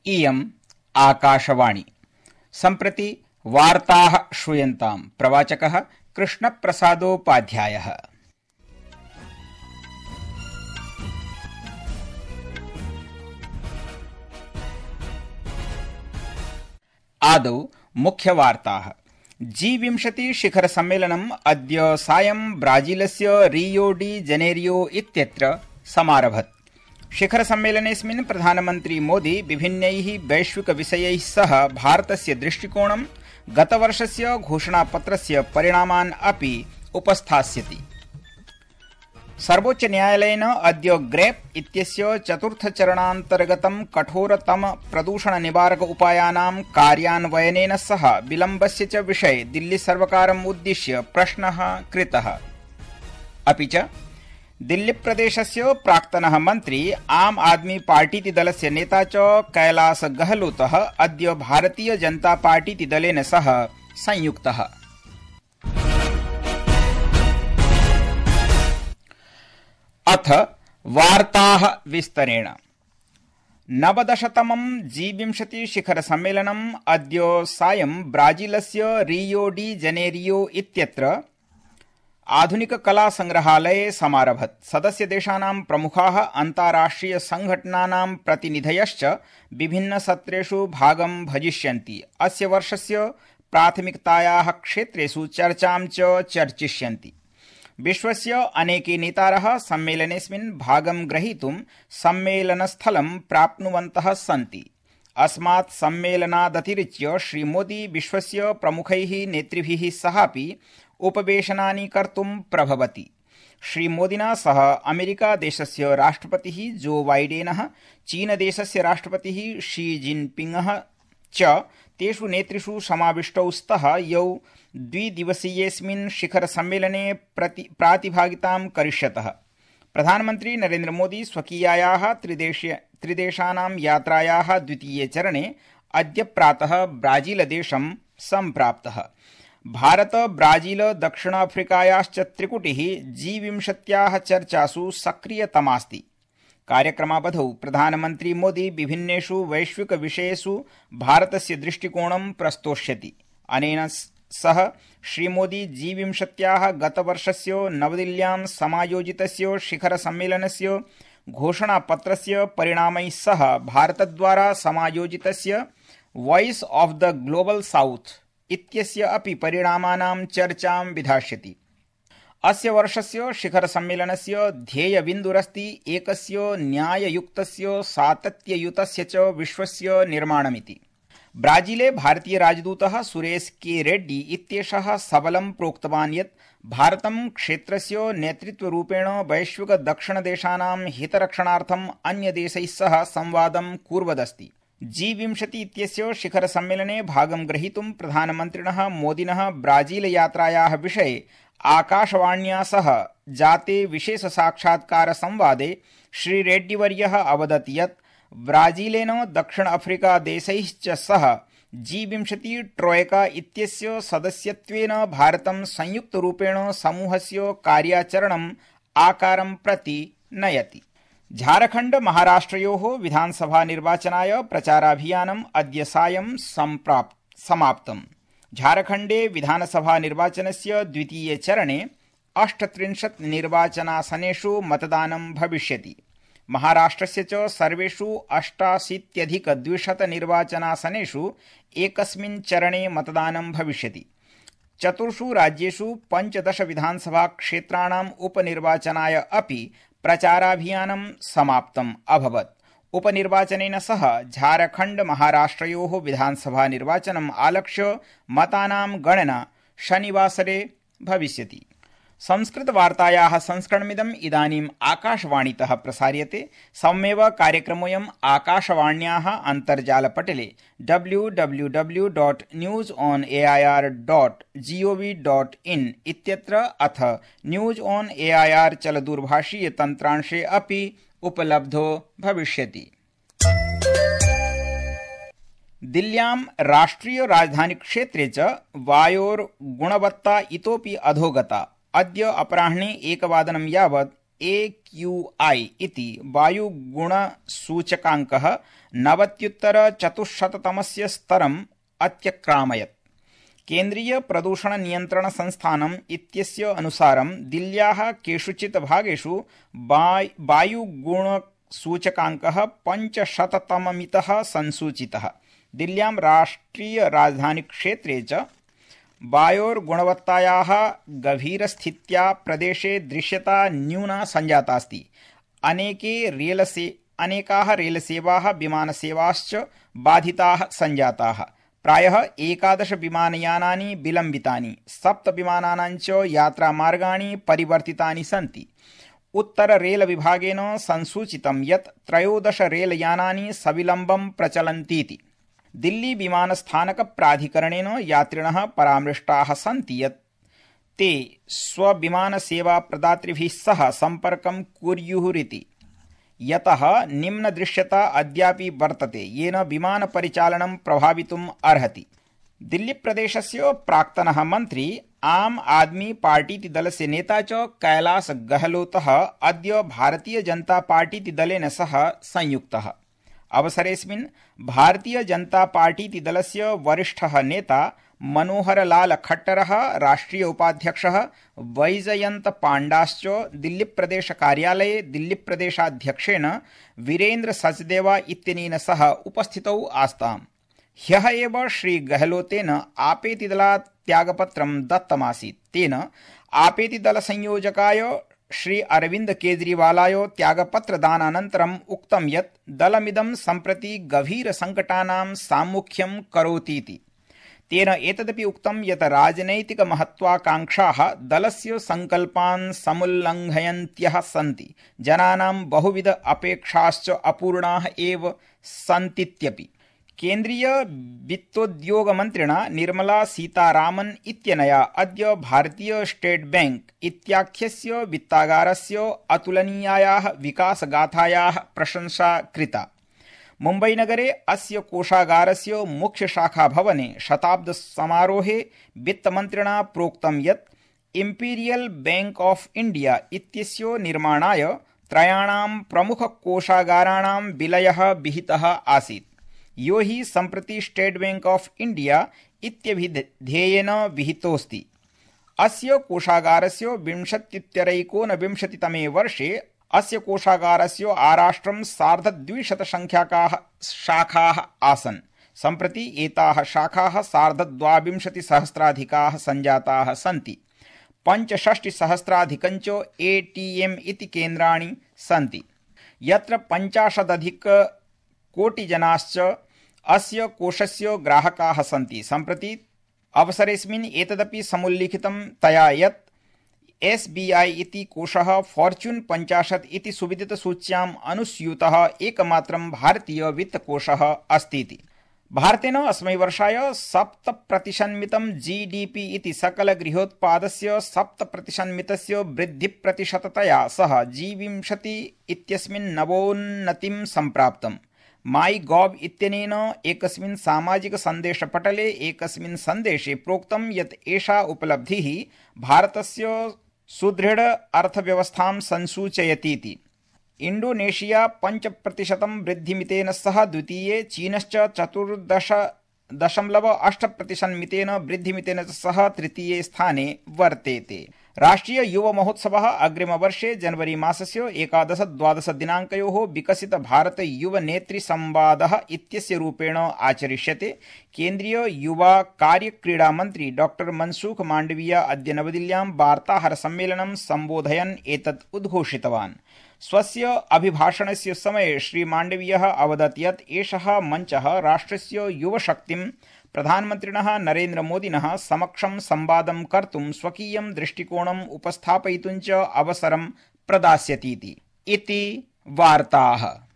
इयम् आकाशवाणी। सम्प्रति वार्ताः श्रूयन्ताम्। प्रवाचकः कृष्णप्रसादोपाध्यायः। आदौ मुख्यवार्ताः। G20 शिखरसम्मेलनम् अद्य सायं ब्राजीलस्य रियो डी जेनेरियो इत्यत्र समारभत। शिखरसम्मेलनेऽस्मिन् प्रधानमन्त्री मोदी विभिन्नैः वैश्विकविषयैः सह भारतस्य दृष्टिकोणं, गतवर्षस्य घोषणापत्रस्य परिणामान् अपि उपस्थास्यति। सर्वोच्चन्यायालयेन अद्य ग्रेप इत्यस्य चतुर्थचरणान्तर्गतं कठोरतम प्रदूषणनिवारक उपायानां कार्यान्वयनेन सह विलम्बस्य च विषये दिल्लीसर्वकारम् उद्दिश्य प्रश्नः कृतः। अपि च दिल्लीप्रदेशस्य प्राक्तनः मन्त्री आम आदमी पार्टीति दलस्य नेता च कैलास गहलोतः अद्य भारतीय जनता पार्टीति दलेन सह संयुक्तः। अथ वार्ताः विस्तरेण। 19तमं G20 शिखरसम्मेलनम् अद्य सायं ब्राजीलस्य रियो डी जेनेरियो इत्यत्र आधुनिककलासंग्रहालये समारभत। सदस्यदेशानां प्रमुखाः अन्ताराष्ट्रिय संघटनानां प्रतिनिधयश्च विभिन्नसत्रेषु भागं भजिष्यन्ति। अस्य वर्षस्य प्राथमिकतायाः क्षेत्रेषु चर्चां च चर्चिष्यन्ति। विश्वस्य अनेके नेतारः सम्मेलनेऽस्मिन् भागं ग्रहीतुं सम्मेलनस्थलं प्राप्नुवन्तः सन्ति। अस्मात् सम्मेलनादतिरिच्य श्रीमोदी विश्वस्य प्रमुखैः नेतृभिः सहापि उपवेशनानि कर्तुं प्रभवति। श्रीमोदिना सह अमेरिकादेशस्य राष्ट्रपतिः जो बाइडेनः, चीनदेशस्य राष्ट्रपतिः शी जिनपिंगः च तेषु नेतृषु समाविष्टौ स्तः यौ द्विदिवसीयेऽस्मिन् शिखरसम्मेलने प्रातिभागितां करिष्यतः। प्रधानमन्त्री नरेन्द्र मोदी स्वकीयायाः त्रिदेशानां यात्रायाः द्वितीये चरणे अद्य प्रातः ब्राजीलदेशं सम्प्राप्तः। Bharata Brazil दक्षिणाफ्रिकायाश्च त्रिकुटिः G20 चर्चासु सक्रियतमास्ति। कार्यक्रमावधौ प्रधानमन्त्री मोदी विभिन्नेषु वैश्विकविषयेषु भारतस्य दृष्टिकोणं प्रस्तोष्यति। अनेन सह श्रीमोदी G20 गतवर्षस्य नवदिल्ल्यां समायोजितस्य शिखरसम्मेलनस्य घोषणापत्रस्य परिणामैः सह भारतद्वारा समायोजितस्य voice of the global south इत्यस्य अपि परिणामानां चर्चां विधास्यति। अस्य वर्षस्य शिखरसम्मेलनस्य ध्येयबिन्दुरस्ति एकस्य न्याययुक्तस्य सातत्ययुतस्य च विश्वस्य निर्माणमिति। ब्राजीले भारतीय राजदूतः सुरेश के रेड्डी इत्येषः सबलं प्रोक्तवान् यत् भारतं क्षेत्रस्य नेतृत्वरूपेण वैश्विक दक्षिणदेशानां हितरक्षणार्थम् अन्यदेशैः सह संवादं कुर्वदस्ति। G20 इत्यस्य शिखरसम्मेलने भागं ग्रहीतुं प्रधानमन्त्रिणः मोदिनः ब्राजीलयात्रायाः विषये आकाशवाण्या सह जाते विशेषसाक्षात्कारसंवादे श्रीरेड्डीवर्यः अवदत् यत् ब्राजीलेन दक्षिण अफ्रीकादेशैश्च सह G20 ट्रोयका इत्यस्य सदस्यत्वेन भारतं संयुक्तरूपेण समूहस्य कार्याचरणम् आकारं प्रति नयति। झारखण्ड महाराष्ट्रयोः विधानसभा निर्वाचनाय प्रचाराभियानम् अद्य सायं समाप्तम्। झारखण्डे विधानसभा निर्वाचनस्य द्वितीये चरणे 38 निर्वाचनासनेषु मतदानं भविष्यति। महाराष्ट्रस्य च सर्वेषु 88,200 निर्वाचनासनेषु एकस्मिन् चरणे मतदानं भविष्यति। 4 राज्येषु 15 विधानसभा क्षेत्राणाम् उपनिर्वाचनाय अपि प्रचाराभियानं समाप्तम् अभवत्। उपनिर्वाचनेन सह झारखण्ड महाराष्ट्रयोः विधानसभा निर्वाचनम् आलक्ष्य मतानां गणना शनिवासरे भविष्यति। संस्कृतवार्तायाः संस्करणमिदम् इदानीम् आकाशवाणीतः प्रसार्यते। सममेव कार्यक्रमोऽयम् आकाशवाण्याः अन्तर्जालपटले www.newsonair.gov.in इत्यत्र अथ न्यूज ऑन एआईआर चलदूरभाषीय तन्त्रांशे अपि उपलब्धो भविष्यति। दिल्ल्यां राष्ट्रिय राजधानी क्षेत्रे च वायोर्गुणवत्ता इतोपि अधोगता। अद्य अपराह्णे 1 वादनं यावत् AQI इति वायुगुणसूचकाङ्कः 90-400तमस्य स्तरम् अत्यक्रामयत्। केन्द्रीय प्रदूषण नियन्त्रण संस्थानम् इत्यस्य अनुसारं दिल्ल्याः केषुचित् भागेषु वायुगुणसूचकाङ्कः 500तममितः संसूचितः। दिल्ल्यां राष्ट्रिय राजधानीक्षेत्रे च वायोर्गुणवत्तायाः गभीरस्थित्या प्रदेशे दृश्यता न्यूना सञ्जातास्ति। अनेकाः रेलसेवाः विमानसेवाश्च बाधिताः सञ्जाताः। प्रायः 11 विमानयानानि विलम्बितानि, 7 विमानानां च यात्रामार्गाणि परिवर्तितानि सन्ति। उत्तर रेल विभागेन संसूचितं यत् 13 रेलयानानि सविलम्बं प्रचलन्तीति। दिल्ली विमानस्थानक प्राधिकरणेन यात्रिणः परामृष्टाः सन्ति यत् ते स्वविमानसेवाप्रदातृभिः सह सम्पर्कं कुर्युरिति, यतः निम्नदृश्यता अद्यापि वर्तते येन विमानपरिचालनं प्रभावितुम् अर्हति। दिल्लीप्रदेशस्य प्राक्तनः मन्त्री आम आदमी पार्टीति दलस्य नेता च कैलाश गहलोतः अद्य भारतीय जनता पार्टीति दलेन सह संयुक्तः। अवसरेऽस्मिन् भारतीय जनता पार्टीति दलस्य वरिष्ठः नेता मनोहरलाल खट्टरः, राष्ट्रीय उपाध्यक्षः वैजयन्त पाण्डाश्च दिल्लीप्रदेश कार्यालये दिल्लीप्रदेशाध्यक्षेण वीरेन्द्र सचदेवा इत्यनेन सह उपस्थितौ आस्ताम्। ह्यः एव श्री गहलोतेन आपेतिदलात् त्यागपत्रं दत्तमासीत्। तेन आपेतिदलसंयोजकाय श्री अरविन्द केजरीवालाय त्यागपत्रदानानन्तरम् उक्तं यत् दलमिदं सम्प्रति गभीरसङ्कटानां साम्मुख्यं करोतीति। तेन एतदपि उक्तं यत् राजनैतिकमहत्वाकाङ्क्षाः दलस्य सङ्कल्पान् समुल्लङ्घयन्त्यः सन्ति। जनानां बहुविध अपेक्षाश्च अपूर्णाः एव सन्तीत्यपि। केन्द्रीय वित्तोद्योगमन्त्रिणा निर्मला सीतारामन् इत्यनया अद्य भारतीय स्टेट बैंक इत्याख्यस्य वित्तागारस्य अतुलनीयायाः विकासगाथायाः प्रशंसा कृता। मुम्बईनगरे अस्य कोषागारस्य मुख्यशाखाभवने शताब्दसमारोहे वित्तमन्त्रिणा प्रोक्तं यत् इम्पीरियल बैंक ऑफ इंडिया इत्यस्य निर्माणाय 3 प्रमुखकोषागाराणां विलयः विहितः आसीत्, यो हि सम्प्रति स्टेट बैंक ऑफ इंडिया इत्यभिधेयेन विहितोऽस्ति। अस्य कोषागारस्य 20-29तमे वर्षे अस्य कोषागारस्य आराष्ट्रं 250 संख्याकाः शाखाः आसन्। सम्प्रति एताः शाखाः 22,000 सञ्जाताः सन्ति। 65,000 ATM इति केन्द्राणि सन्ति, यत्र 50 कोटिजनाश्च अस्य कोषस्य ग्राहकाः सन्ति। सम्प्रति अवसरेऽस्मिन् एतदपि समुल्लिखितं तया यत् SBI इति कोषः फॉर्च्यून 50 इति सुविदितसूच्याम् अनुस्यूतः एकमात्रं भारतीय वित्तकोषः अस्तीति। भारतेन अस्मै वर्षाय 7% GDP इति सकलगृहोत्पादस्य 7% वृद्धिप्रतिशततया सह G20 इत्यस्मिन् नवोन्नतिं सम्प्राप्तम्। माई गॉव इत्यनेन एकस्मिन् सामाजिक सन्देशपटले एकस्मिन् सन्देशे प्रोक्तं यत् एषा उपलब्धिः भारतस्य सुदृढ अर्थव्यवस्थां संसूचयतीति। इंडोनेशिया 5% वृद्धिमितेन सह द्वितीये, चीनश्च 14.8% वृद्धिमितेन सह तृतीये स्थाने वर्तेते। राष्ट्रिय युव महोत्सवः अग्रिमवर्षे जनवरी मासस्य 11-12 दिनाङ्कयोः विकसित भारत युव नेत्री संवादः इत्यस्य रूपेण आचरिष्यते। केन्द्रीय युवा कार्य क्रीडा मन्त्री डॉक्टर मनसुख मांडविया अद्य नवदिल्ल्यां वार्ताहर सम्मेलनं सम्बोधयन् एतत् उद्घोषितवान्। स्वस्य अभिभाषणस्य समये श्री मांडवीयः अवदत् यत् एषः मञ्चः राष्ट्रस्य युवशक्तिं प्रधानमन्त्रिणः नरेन्द्र मोदिनः समक्षं संवादं कर्तुं स्वकीयं दृष्टिकोणम् उपस्थापयितुं च अवसरं प्रदास्यतीति। इति वार्ताः।